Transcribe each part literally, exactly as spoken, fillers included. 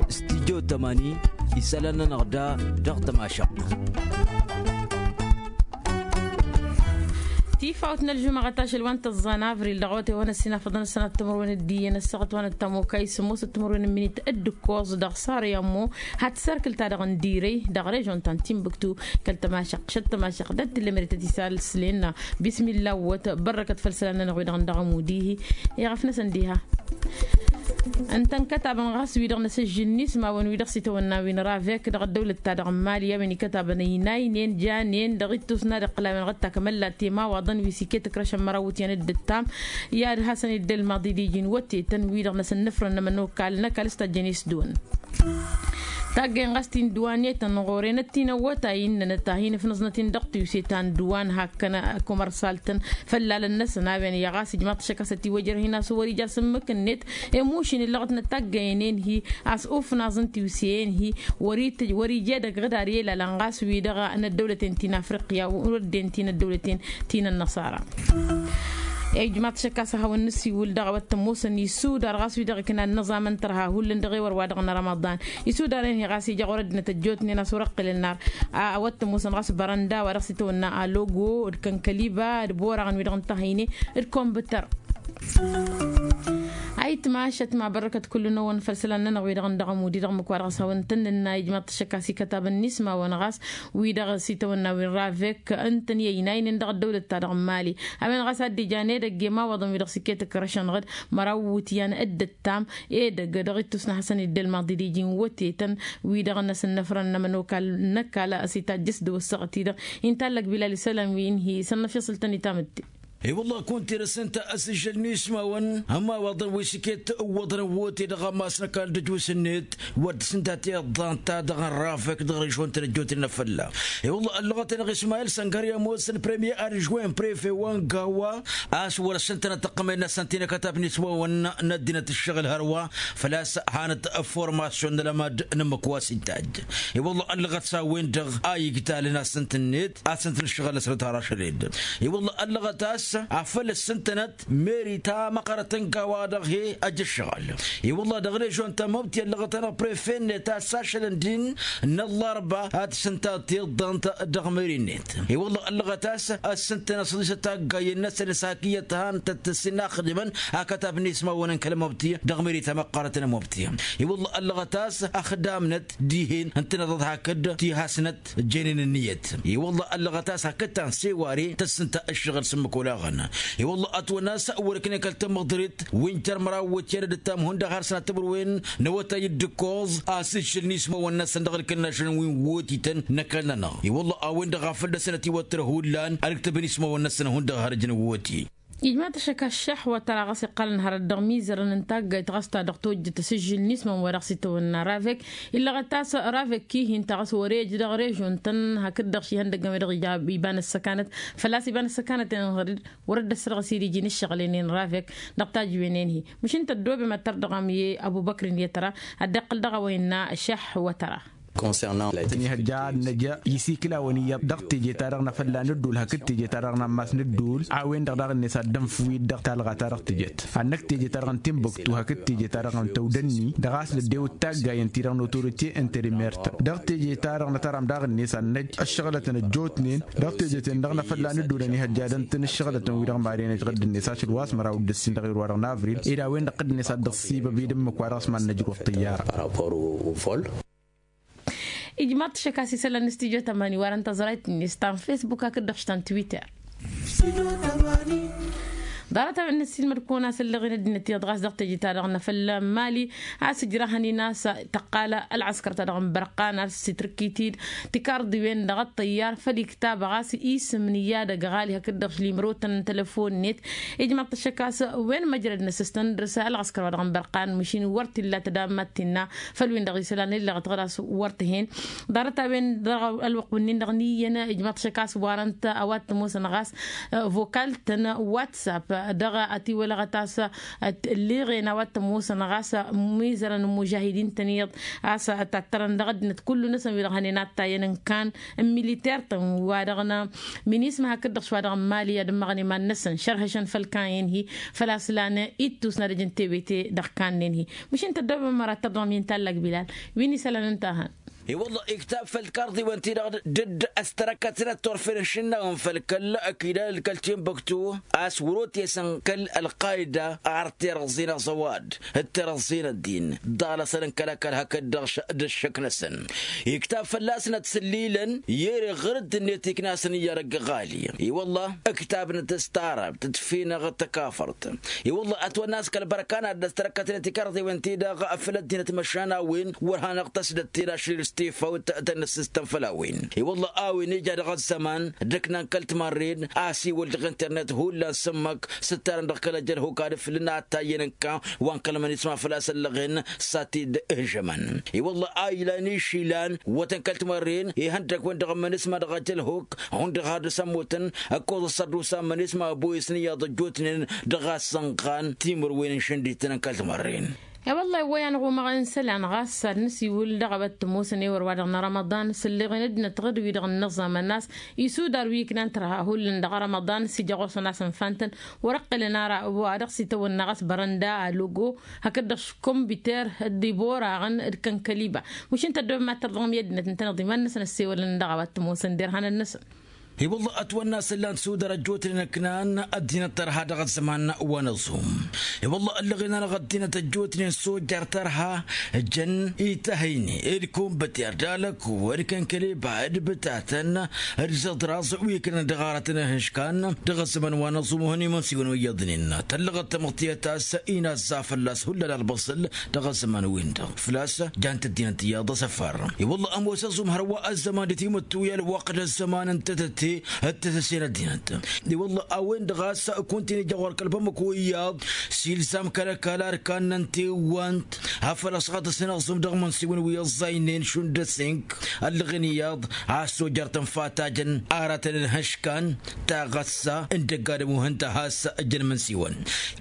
Stidyo tămani isălan-nănăɣ da dăɣ-tămašăɣt. Tifawt n-ălžumăɣăt ašăl wa n-tăẓẓa n-avril dăɣ-awătay wa n-ăssinafăḍăn ăssanăt timǝrwen d-iyyăn ăssaɣăt wa n-ăttămokay sămoosăt timǝrwen n-imǝnit d-ǝkkoẓ dăɣ-sarăy ămmo. Had-sărkǝl-ta-dăɣ n-dirăy dăɣ-režon ta n-timbuktu kăl-tămašăɣt šăt tămašăɣt d-ad-t-tǝllămăret ad-t-isal s-lenna. Bismilla wăt bărrăkăt făll-isălan-nănăɣ wi-dăɣ n-dăɣ-ămud-ihi. Iɣăf-năsăn diha ǝnta n-kătabăn ɣas wi-dăɣ n-asǝžžǝl n-ismawăn wi dăɣ-s itawănna wi n-ravek dăɣ-ăddăwlăt-ta-dăɣ n-mali a-wen ikătabăn ăynaynen janen dăɣ-ittus n-ad-iqqǝl a-wen-dăɣ d-takmăllat i-imawaḍăn wi s-iket ǝkrăšăn măraw iwǝtyan d-ǝttam. I-ad-hasăn-dd-ălmaḍ idij n-wătetăn wi-dăɣ n-asǝnnǝfrăn n-ămănokal n-ăkall s-tajjăn isdǝwăn. Taggăyăn ɣas ti n-dǝwanetăn ɣur-enăt ti n-ăwwătay ǝnnănăt a hin-ǝfnǝẓnăt-in dăɣ-tiwse ta n-dǝwan hakkăn kumărsaltăn făllalăn-năsăn a-wen i-ɣas ijmaḍ-t ašăk a-s ătiwăjrăh-in a-s wăr-ija s-ǝmmǝk-net. Emušin illăɣăt n-ătaggăyăn-en-hi a-s ufnaẓ n-tiwse-en-hi wăr-ija edăgg ɣǝdar i-ălalăn ɣas wi-dăɣ n-ăddăwlăten ti n-afriqya wăr ăddin ti n-ăddăwlăten ti n-ănnăṣara. Ijmaḍ-t ašăk a-s ad-hawăn-nǝsiwǝl dăɣ-a-wa t-ămoosăn isudar ɣas wi-dăɣ ǝknan n-aẓamăn tărha hullan dăɣ-ewăr wa dăɣ-nărămăḍan. Isudar-en-hi ɣas ija ɣur-ăddinăt ăjjootnen a-s wăr-ăqqǝlăn nar a-wa t-ămoosăn ɣas bărănda wa dăɣ-s itawănna alogo d-kănkăliba d-boraɣăn wi-dăɣ n-tahăyne d-kombǝtăr. Ayǝtmašăt ma bărrăkăt kullu-năwăn făll-isălan-nănăɣ wi-dăɣ n-dăɣ-ămud-i dăɣ-imǝkwa dăɣ-s hawăn-tăn-nǝnna ijmaḍ-t ašăk a-s ikătabăn n-ismawăn ɣas wi-dăɣ s-itawănna wi n-ravek ǝntăn i-ăynaynen dăɣ-ăddăwlăt-ta-dăɣ n-mali. A-wen ɣas ad-dd-ijan edăgg i-imawaḍăn wi-dăɣ s-iket ǝkrăšăn ɣǝd măraw iwǝtyan d-ǝttam edăgg dăɣ-ittus n-ad-hasăn-dd-ălmaḍ idij n-wătetăn wi-dăɣ n-asǝnnăfrăn n-ămănokal n-ăkall a-s itajjăs dăw-ăssaɣăt-i-dăɣ. Inta ăllăk bilal isălan wi n-hi-săn n-afyăṣǝl-tăn itam-dd. I-wălla kunta irăs ǝnta asǝžžăl n-ismawăn ămawaḍăn wi s-iket ǝwwăḍăn ăwwăte dăɣ-ammas n-ăkall d-ăjus-net wăr dd-sǝnta tiḍḍant-ta-dăɣ n-rafek dăɣ-režon-tăn ăjjootnen afălla. I-wălla ăllăɣăt-anăɣ ismayil săngăr i-ămoos n-premier adžwen prefe wa n-gawa a-s wăr-ăssintănăt ăqqămăy-năsăn ti n-akătab n-ismawăn n-ăddinăt ǝššăɣǝl hărwa făl-a-s hanăt formasyon n-alămad n-ǝmmǝk wa s-ittajj. I-wălla ăllăɣăt s-a-wen-dăɣ a igtalăn asǝnt-net asǝnt n-ǝššăɣǝl-năsnăt har ašăl-ed. I-wălla ăllăɣăt a-s afăl ăssintănăt meri ta măqqărăt n-gawa-dăɣ he-ăj ǝššăɣǝl. I-wălla dăɣ-režon ta măbti ăllăɣăt-anăɣ prefe-net a-s ašălăn din n-ăllarba ad-t-sǝnta tiḍḍant dăɣ-meri-net. I-wălla ăllăɣăt a-s ăssintănăt s-ăḍisăt taggayen-năsăn s-hak iyyăt han tăt-sǝnnaxdimăn akătab n-ismawăn n-kăl-măbti dăɣ-meri ta măqqărăt n-măbti. I-wălla ăllăɣăt a-s ăxdamnăt dihen ǝntăneḍăt hakd tihasnăt jenen ǝnniyăt. I-wălla ăllăɣăt a-s hakd ta n-seware tăssǝnta ǝššăɣǝl s-ǝmmǝk olaɣăn. I-wălla ătwănna a-s wăr-ǝknen kăl-tamăḍrit wi n-jăr măraw iwǝtyan d-ǝttam hundăɣ har sănat timǝrwen n-awătay d-ǝkkoẓ asǝžžǝl n-ismawăn-năsăn dăɣ-ǝlkăl n-ašăl wi n-wotităn n-ăkall-nănăɣ. I-wălla a-wen-dăɣ a fălla-săn ătiwăttărăh hullan ălǝktăb n-ismawăn-năsăn hundăɣ har ǝjnăn woti. Ijmaḍ-t ašăk ăššăḥ wa tăra ɣas iqqalăn hărăt dăɣ-imizărăn n-taggayt ɣas ta dăɣ-tojjăt asǝžžǝl n-ismawăn wa dăɣ-s itawănna ravek. Illăɣăt a-s ravek ihin ta ɣas wăr-ej dăɣ-režon-tăn hakd-dăɣ šihăndăggăn wi-dăɣ ija iba n-ăssăkanăt. Făl-a-s iba n-ăssăkanăt-en ɣăr-dd wăr-dd-ăssărɣǝs idiji n-ǝššăɣǝl-en-en ravek dăɣ-tajǝwen-en-hi. Măšin tăddoobem ad-tărdăɣăm i-ăbubăkr-in i-tăra ad-dd-iqqǝl dăɣ-a-wa innă ăššăḥ wa tăra. Tăn-ihăjja ad-năj isikǝlawăn iyyăḍ dăɣ-teje-ta-dăɣ n-afălla n-ăddul hakd teje-ta-dăɣ n-ammas n-ăddul a-wen-dăɣ daɣ-net ad-dănf-wi-dăɣ talɣa-ta-dăɣ tǝjăt ad-năk teje-ta-dăɣ n-timbuktu hakd teje-ta-dăɣ n-tăwdănni dăɣ-a-s năddewăt taggayăn-ti-dăɣ n-autorite n-terimert dăɣ-teje-ta-dăɣ n-atăram daɣ-net ad-năj ăššăɣlătăn ăjjootnen dăɣ-teje-ten-dăɣ n-afălla n-ăddul ănihăjja ad-ăntăn ǝššăɣlătăn wi-dăɣ maren ăjɣădd-net ašăl wa s-măraw d-ǝssin dăɣ-irwa-dăɣ n-avril ed a-wen-dăɣ dd-net ad-dd-ăṣṣibăb i-dd-ǝmmǝk wa dăɣ-s mad-năjrăw ăṭṭǝyyara. Ijmaḍ-t ašăk a-s isălan n-studyo tămani warăn tăẓrayt-net ta n-facebook hakd-dăɣ š-ta n-twitter. Ḍarăt-a-wen n-ăssiilmăd-kăwăn a-s ăllăɣen ăddinăt iyyăḍ ɣas dăɣ-teje-ta-dăɣ n-afălla n-mali a-s ǝjrahăn-in a-s tăqqal ălɣăskăr-ta-dăɣ n-bărqan a-s s-itrǝkkit-dd tikarḍiwen dăɣ-ăṭṭăyyar făll-iktab ɣas isǝm n-iyyădăg ɣali hakd-dăɣ š-limrotăn n-telăfon-net. Ijmaḍ-t ašăk a-s wen măjrăd n-asǝstăn dăr-s ălɣăskăr wa dăɣ-n bărqan măšin wăr t-illa tădammăt tǝnna făll-win-dăɣ isălan illăɣ-t ɣăr-as wăr t-hen. Ḍarăt-a-wen dăɣ-ălwăqq wǝnnin-dăɣ n-iyyăn ijmaḍ-t ašăk a-s warăn-t a-wa t-ămoosăn ɣas vokal-tăn whatsapp. Dăɣ-a ătiwălăɣăt a-s ălleɣen a-wa t-ămoosăn ɣas mizărăn n-imužahidin-tăn iyyăḍ a-s tattărăn dăɣ-ăddinăt kullu-năsăn wi-dăɣ hănen ad-tayyăn n-kan n-militer-tăn wa dăɣ-năminisma hakd-dăɣ s-wa dăɣ-n mali ad-ǝmmăɣăn iman-năsăn šărhăšăn făll-kan-en-hi. Făl-a-s lan ittus n-ad-ăj n-tebete dăɣ-kan-en-hi. Măšin tăddobăm măra tăḍḍăm i-n tallak bilal wi n-isălan ǝnta a hăn. I-wălla iktab făll-karḍiwen-ti-dăɣ dd-ăstărăkkătnăt turfen n-išǝnnawăn făll-kăl-ăkidal kăl-timbuktu a-s wăr-otesăn kăl-ălqayda ar terăẓẓin aẓăwad d-terăẓẓin ăddin ḍalăsăn n-kăl-ăkall hakd-dăɣ d-ǝššǝk-năsăn. Iktab fălla-snăt sǝllilăn i-ere ɣǝr-dd-net iknasăn iyyăr ăgg-ɣali. I-wălla ǝktabnăt s-tarăbt d-finăɣ d-takafărt. I-wălla ătwănna a-s kăl-bărkan ad-dd-ăstărăkkătnet ikarḍiwen-ti-dăɣ făll-ăddinăt măšan a-wen wăr hanăɣ-tăsdăt tirašril s-tifawt tăn-nǝssǝstăn făll-a-wen. I-wălla a-wen ija dăɣ-ăzzăman d-ǝknan kăl-timarren a-s iwǝl dăɣ-internet hullan s-ǝmmăk s-ǝttarăn dăɣ-kăl-ăjălhuk ad-ǝflǝn ad-tayyăn ǝnka wa n-kăl-mănisma făl-a-s ăllăɣen s-ad-t-dd-ihžămăn. I-wălla a ilan išlan wătăn kăl-timarren ihăndăg-wen dăɣ-mănisma dăɣ-ăjălhuk hundăɣ har dăr-s ămmutăn ǝkkoẓ ăssărdusa n-imănisma ăboyăsăn iyyăḍ ăjjootnen dăɣ-a-s sănɣan timǝrwen n-išǝndităn n-kăl-timărren. I-wălla i-wăyy a năɣumăɣ n-isălan ɣas ad-nǝsiwǝl dăɣ-a-wa t-ămoosăn ewăr-wa-dăɣ n-rămăḍan s-ǝlleɣen ăddinăt ɣǝd-wi-dăɣ ǝnnăẓẓamăn a-s isudar wi ǝknan tărha hullan dăɣ-rămăḍan s-ija ɣur-săn a-s ǝnfan-tăn wăr-ăqqǝlăn ara wa dăɣ-s itawănna ɣas bărănda alogo hakd-dăɣ s-kămbiter d-iboraɣăn d-kănkăliba. Măšin tăddobăm ad-tărḍăɣăm i-ăddinăt ǝntăneḍ iman-năsăn ăssewălăn dăɣ-a-wa t-ămoosăn derhanăn-năsăn. I-wălla ătwănna a-s ǝllan-t sudăr ăjjootnen ǝknan ăddinăt tărha dăɣ-ăzzăman wa n-aẓum. I-wălla ăllăɣen-anăɣ ăddinăt ăjjootnen sujjar tărha jăn ităhăyne d-kumbăter d-alăkku d-kănkăleba d-bǝtatăn d-zăḍraẓ wi ǝknan dăɣ-aratăn ihǝškan dăɣ-ăzzăman wa n-aẓum ohăn imǝnsiwăn wi iyyăḍnen tăllăɣăt tamăḍtiyăt a-s inazza fălla-s hullan ălbăṣǝl. Dăɣ-ăzzăman-win-dăɣ făl-a-s jan-t ăddinăt iyyăḍ asăfar. I-wălla ămoos aẓum hărwa ăzzăman d-timǝttuy ălwăqq d-ăzzăman n-tetăte d-tetăse n-ăddinăt. I-wălla a-wen-dăɣ a-s kunta-in ija ɣur-kăl-bamăko iyyăḍ s-ilzam kăl-ăkall arkannăn tewwant a făl-ăsɣăt s-năẓum dăɣ-imǝnsiwăn wi ăẓẓaynen šund ăsink ăllăɣen iyyăḍ a-s tojăr tănfa tajăn aratăn ănhăškan taɣăssa n-dăgg-adǝm uhǝnta a has ǝjăn imǝnsiwăn.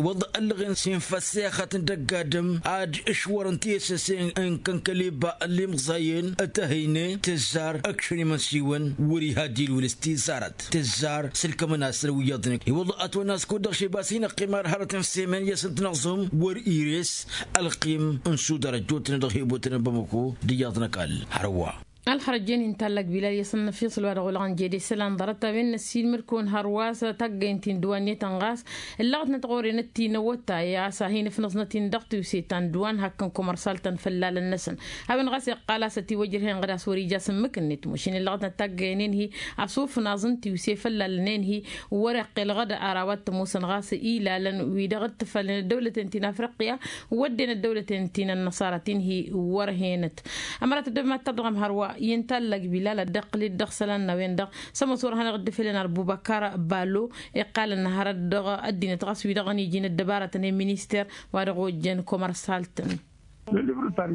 Wălla ăllăɣen s-infăssexăt n-dăgg-adǝm ad-ǝšwărăn tiyăsăsen n-kănkăliba ăllimẓăyen tăhăyne tǝzzar ǝkšăn imǝnsiwăn wăr-iha dilwǝl s-tizarăt tǝzzar s-ǝlkămăn-asăn wi iyyăḍnen. I-wălla ătwănna a-s kud-dăɣ šibas-in ăqqim ar hărăt n-semen i-asǝnt năẓum wăr-ires ălqim n-sudar ăjjootnen dăɣ-hibutnen bamăko d-iyyăḍ n-ăkall hărwa. Ălxărăjjen-in tallak bilal i-asăn n-afyăṣ ălwa dăɣ-olăɣăn jede isălan ḍarăt-a-wen n-ăssiilmăd-kăwăn hărwa s-taggaynt-in dăwannetăn ɣas ǝllăɣătnăt ɣur-enăt tinăwătay a-s a hin-ǝfnăẓnăt-in dăɣ-tiwse ta n-dăwan hakk n-kumărsal-tăn făllalăn-năsăn. A-wen ɣas iqqal a-s ătiwăjrăhen ɣǝd a-s wăr-ija s-ǝmmǝk-net măšin ǝllăɣătnăt taggayăn-en-hi a-s ufnaẓ n-tiwse făllalăn-en-hi wăr-iqqel ɣǝd ar a-wa t-ămoosăn ɣas ilalăn wi-dăɣ dd-tǝfalnen ăddăwlăten ti n-afriqya wădden ăddăwlăten ti n-ănnăṣara ti n-hi wăr-henăt. Ămărat ăddăbăm ad-tărdăɣăm hărwa i-ǝnta ăllăg bilal ad-dd-iqqǝl-dd dăɣ-isălan n-a-wen-dăɣ s-ămoos wăr hanăɣ-dd-ifelăn ar bubăkar balo iqqalăn hărăt dăɣ-ăddinăt ɣas wi-dăɣ ănijin ăddăbarătăn i-minister wa dăɣ-ojjăn komărsalt-tăn.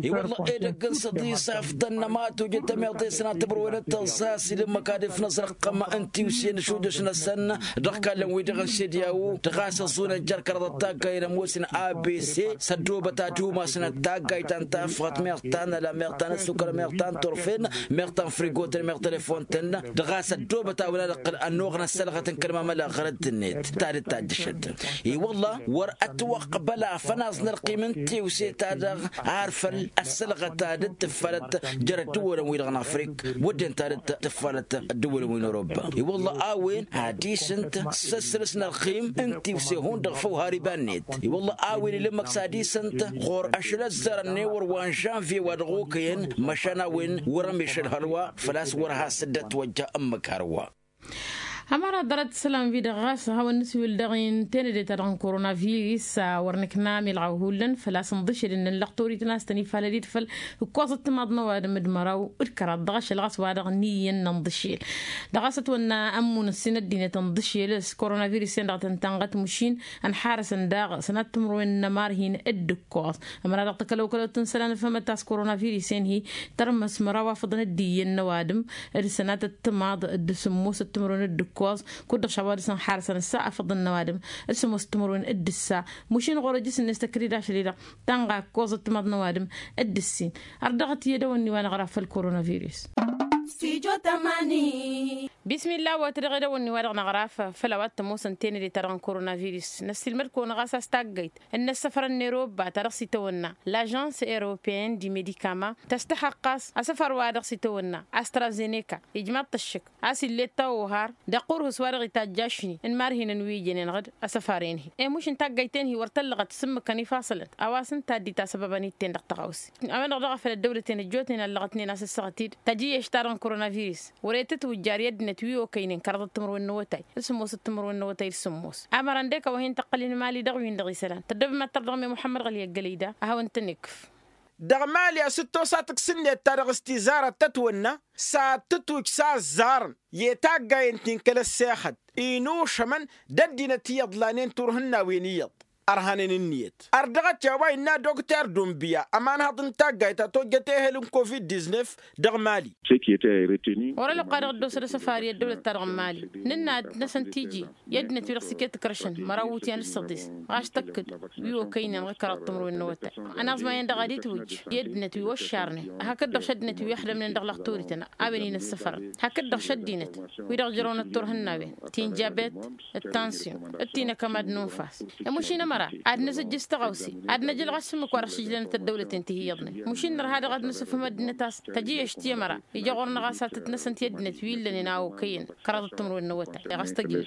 I-wălla edăgg n-săḍis afḍăn n-ămatoj d-tămiḍe s-nat tǝmrăwen d-tăẓẓa s-ila ǝmmǝk ad-ifnăẓ rǝqqăm n-tiwse n-ašudăš-năsăn dăɣ-ikallăn-wi-dăɣ n-sediyaw dăɣ-a-s ăẓẓunăn jer-kăraḍăt taggayăn ămoosnen abc s-ăddoobăt ad-umasnăt taggayt ta n-tafɣăt meɣ ta n-ăla meɣ ta n-ăssukăl meɣ ta n-turfen meɣ ta n-frigotăn meɣ telefontăn dăɣ-a-s ăddoobăt a-wen ad-ǝqqǝl ănnuɣ n-ăssălɣăt n-kăl-mamăla ɣărăt-net ta dd-tajjăšăt. I-wălla wăr-ătwăqbăl afănaẓ n-ălqim n-tiwse-ta-dăɣ ar făl ăssălɣăt ta dd-tǝffalăt jer-ăddǝwălăn-wi-dăɣ n-afrik wădden ta dd-tǝffalăt ăddǝwălăn wi n-oroba. I-wălla a-wen ad-isǝnt s-ăssărǝs n-ălqim n-tiwse hundăɣ făw har iba-net. I-wălla a-wen ila ǝmmǝk s-ad-isǝnt ɣur-ašăl ăzzarăn n-ewăr wa n-žănvye wa dăɣ-okăyăn măšan a-wen wăr-ămišăl hărwa făl-a-s wăr has-dd-ătwăjja ǝmmǝk hărwa. Ămăra ḍarăt isălan-wi-dăɣ ɣas ad-hawăn-nǝsiwǝl dăɣ-tenăde-ta-dăɣ n-koronavirus a wăr nǝkna milɣaw hullan făl-a-s ǝnḍǝšel ǝnnăn lăqtor itnas tăn-ifalăd-dd făll-ǝkkoẓăt timaḍ n-ăwadǝm d-măraw d-kăraḍ dăɣ-ašăl ɣas wa-dăɣ n-iyyăn n-ănḍǝšel. Dăɣ-a-s ătwănna ămmun ǝssin ăddinăt ǝnḍǝšel s-koronavirus-en dăɣ-tăn-tanɣăt măšin ănḥarăsăn daɣ sănat timǝrwen n-ămar hin-dd-ǝkkoẓ. Ămăra dăɣ-takălăwkălăwt n-isălan ăfhămăt a-s koronavirus-en-hi tărmăs măraw afăḍăn d-iyyăn n-ăwadǝm d-sănatăt timaḍ d-sǝmmosăt timǝrwen. ǝkkoẓ. Kud-dăɣ šawa dăɣ-săn xarăsăn ǝssa afăḍăn n-ăwadǝm d-sămoos timǝrwen d-ǝssa. Mušin ɣur-ăjjǝs-net tăkridasăl-i-dăɣ tanɣa ǝkkoẓăt timaḍ n-ăwadǝm d-ǝssin. Ărdăɣăt i-edăwănni wa năɣraf făll-koronavirus. Bismillah wa tădăɣ edăwănni wa dăɣ-năɣraf făll-a-wa t-ămoosăn tenăde-ta-dăɣ n-koronavirus. Năssiilmăd-kăwăn ɣas a-s taggayt n-inăssăfărăn n-erobba ta dăɣ-s itawănna l'agence européenne du médicament tăstăhăɣ ɣas asăfar wa dăɣ-s itawănna astrazeneka. Ijmaḍ-t ăššǝk a-s ill'-e t-ăwwăhar dăɣ-kurhǝs wa dăɣ-itajj ašni n-imarhinăn wi ijănen ɣǝd asăfar-en-hi. Emuš n-taggayt-en-hi wăr tăllăɣăt s-ǝmmǝkăn ifassălăn a-wa s-ǝnta a dd-itasăbăbăn-i d-ten-dăɣ tăɣawse. A-wen-dăɣ daɣ a făl ăddăwlăten ăjjootnen allăɣătnen a-s ǝssăɣăt-dd tajǝyyešt-ta-dăɣ n-koronavirus. Wăr-e tǝtwǝjjar i-ăddinăt wi okăynen kăraḍăt timǝrwen n-awătay d-sămoosăt timǝrwen n-awătay d-sămoos. Amăra ǝndek a-wa hin-tăqqăl i-inmali dăɣ-win-dăɣ isălan tăddăb mad-tărdăɣme muḥămmăd ɣăli ăggălăy da a hawăn-tăn-ikkǝf. Dăɣ-mali a-s t-tosa tǝks-net ta dăɣ-s tizarăt tătwănna s-ad-tǝtwǝj s-aẓẓarăn i-taggayen ti n-kăl-ăssexăt inušămăn d-ăddinăt iyyăḍ lanen turhǝnnawen iyyăḍ. Ărhanen ǝnniyăt ărdăɣăt i-a-wa innă dokter dumbǝya ămanhăḍ n-taggayt ta tojjăt ehel n-covid-diznef dăɣ-mali. Wăr-ălwăqqa dăɣ-dd-osăd asăfar i-ăddăwlăt-ta-dăɣ n-mali nǝnna ad-năsăn tiji i-ăddinăt wi dăɣ-s iket ǝkrăšăn măraw iwǝtyan d-săḍis. Ɣas tăkk-dd wi okăynen ɣǝkăraḍ timǝrwen n-awătay ănaẓma-en-dăɣ ad-itwǝjj i-ăddinăt wi oššarnen hakd-dăɣ šăddinăt wi ăxdămnen dăɣ-lăxtorităn a-wen inăssăfărăn hakd-dăɣ šăddinăt wi-dăɣ jărăwnăt turhǝnnawen ti n-jabet d-tansyon d-tinăkămad n-unfas. Ămušin ămăra ad-nǝzǝjj s-tăɣawse ad-năjǝl ɣas s-ǝmmǝk wa dăɣ-s ǝjlănăt ăddăwlăten ti hi-iyyăḍnen mušin nărha daɣ ad-nǝsǝfhǝm ăddinăt a-s tăjǝyyešt i-ămăra ija ɣur-năɣ a-s ad-tăt-năsăn ti ăddinăt wi illănen a okăyăn kăraḍăt timǝrwen n-awătay. Ɣas tăjjǝl.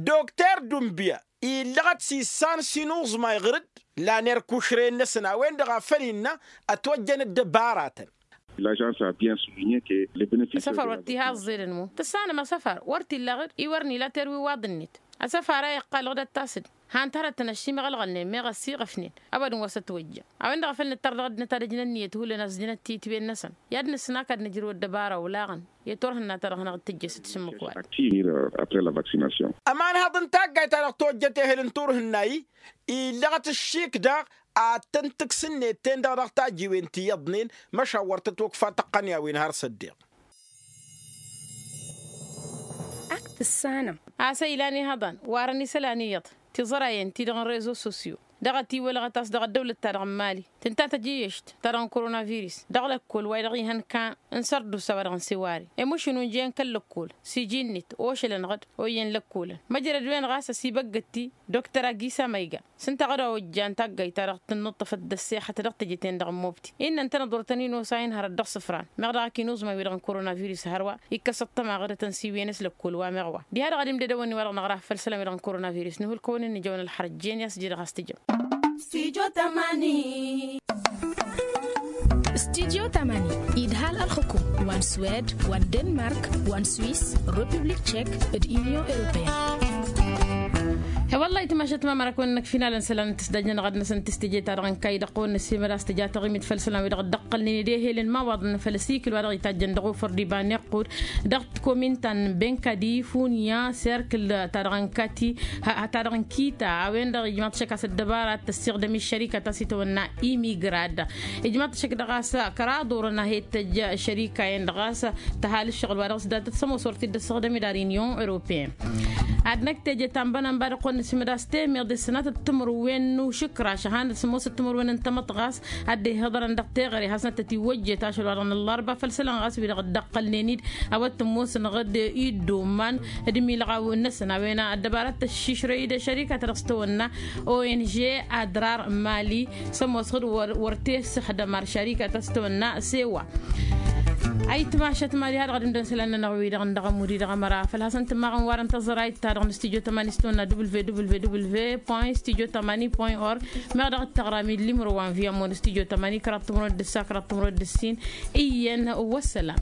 Dokter dumbǝya illăɣăt s-issan s-inuẓmay ɣǝr-dd lan erk ušrăyăn-năsăn a-wen-dăɣ a făl innă ătwăjjăn ăddăbaratăn. L'agence a bien souligner que le benefice. Asăfar wa t-iha ăẓẓelăn mo tǝssanăm asăfar wăr t-illa ɣǝr-i wăr n-ila terwiwaḍ-net. Asăfar a iqqal ɣǝd ăttas-dd han-t hărătăn ăššimăɣ ălɣălnen meɣ ăssiɣăfnen ăbădăn wa s-ătwăjja. A-wen-dăɣ a făl nǝttăr dăɣ-ăddinăt ad-ǝjǝn ǝnniyăt hullan a-s ǝjǝnăt titwen-năsăn i-ad-nǝsnăk ad-nǝjrǝw ăddăbara olaɣăn i-turhǝnna-ta-dăɣ hanăɣ-dd-tǝjjăsăt s-ǝmmǝk wa-dăɣ. Après la vaccination. Ămanhăḍ n-taggayt-ta-dăɣ tojjăt ehel n-turhǝnna-i illăɣăt ǝššik daɣ ad-tăn-tǝks ǝnniyăt-ten-dăɣ dăɣ-tajiwen ti iyyăḍnen. Măšan wăr tăt-okfa tăqqăn i-a-wen har s-ăddiɣ. Ak tǝssanăm. A-s ăylan ihăḍan warăn isălan iyyăḍ tiẓărayen-ti-dăɣ n-rezo sosyo dăɣ-ătiwălăɣăt a-s dăɣ-ăddăwlăt-ta-dăɣ n-mali tǝnta tăjǝyyešt ta-dăɣ n-koronavirus dăɣ-lăkkol wa-dăɣ ihăn kan n-sărdusa wa-dăɣ n-seware. Emušǝn unjăyăn kăl-lăkkol s-iji-net ošălăn ɣǝd oyyăn lăkkolăn măjrăd-wen ɣas ăsibăggăt-i dokter agisa ma iga s-ǝnta ɣǝd a ojjan taggayt-ta-dăɣ tǝnnuṭṭăfăt d-ăssexăt dăɣ-teje-ten-dăɣ n-mobti. Innă ǝntăneḍ wăr tăn-in-osa inhărăt dăɣ-isǝfran meɣ daɣ ak inuẓmay-wi-dăɣ n-koronavirus hărwa ikkăs ăṭṭăma ɣǝdăt ănsiwǝyăn s-lăkkol wa meɣ wa diha-dăɣ ad-imdădăwăn-in wa-dăɣ năɣraf făll-isălan-wi-dăɣ n-koronavirus nǝhulkăwăn-in nǝjăwăn ălxărăt jen i-a-s ǝjǝdăɣ a-s tǝjăm. Studio tămani. Studio tămani idhal ălxukum wa n-swed wa n-denmark wa n-swis, republik tšek d-union européenne. He-wălla-hi timašat ma măra kăwăn-năkf inalăn isălan n-tǝsdajnăn ɣad-năsăn tǝstǝje-ta-dăɣ n-kayy dăɣ-kăwăn-năssimăd a-s tǝja taɣimit făll-isălan-wi-dăɣ dd-ăqqălnen d-ehel n-imawaḍăn făll-asikǝl wa dăɣ-itajjăn dăɣ-ofăr d-iba n-iqqud dăɣ-tikominta n-benkadi funya serkǝl-ta-dăɣ n-kati ta-dăɣ n-kita. A-wen-dăɣ ijmaḍ-t šăk a-s ăddăbara ad-tăssiɣdăm i-ăššărika ta s-itawănna imigrad. Ijmaḍ-t šăk dăɣ-a-s kăraḍ orăn a he-tăjj ăššărika-en-dăɣ a-s tăhal ǝššăɣǝl wa dăɣ-s datăt sămoos wăr t-dd-ăssiɣdăm idarǝyăn i-on europeen. Ad-năkk teje ta n-bănănba dăɣ-kăwăn-năsimăd a-s temeḍe s-sănatăt timǝrwen n-ušǝkraš ăhanăt sămoosăt timǝrwen n-tamăḍt ɣas ad-dd-ihǝḍărăn dăɣ-teɣăre hasnăt tătiwăjjet ašăl wa dăɣ-nǝllărba făll-isălan ɣas wi-dăɣ dd-ăqqălnen-dd a-wa t-ămoosăn ɣǝd i-dd-oman d-imilɣawen-năsăn a-wen ăddăbara t-ăššišrăy d-ăššărika ta dăɣ-s tawănna ong adrar mali. Sămoos ɣǝd wăr t-e-sǝxdăm ar šărika ta s-tawănna sewa. Ayǝtmašăt mali ha dăɣ-ad-ǝmdăn isălan-nănăɣ wi-dăɣ n-dăɣ-ămud-i dăɣ-ămăra făl hasăn-tǝmmaɣăn warăn tăẓrayt-ta-dăɣ n-stujo tămani s-tawănna www point stujo tămani point org. Meɣ dăɣ-dd-tăɣram-dd limro wa n-via moni stujo tămani kăraḍ timǝrwen d-ǝssa kăraḍ timǝrwen d-ǝssin. Iyyăn. Wăssălam.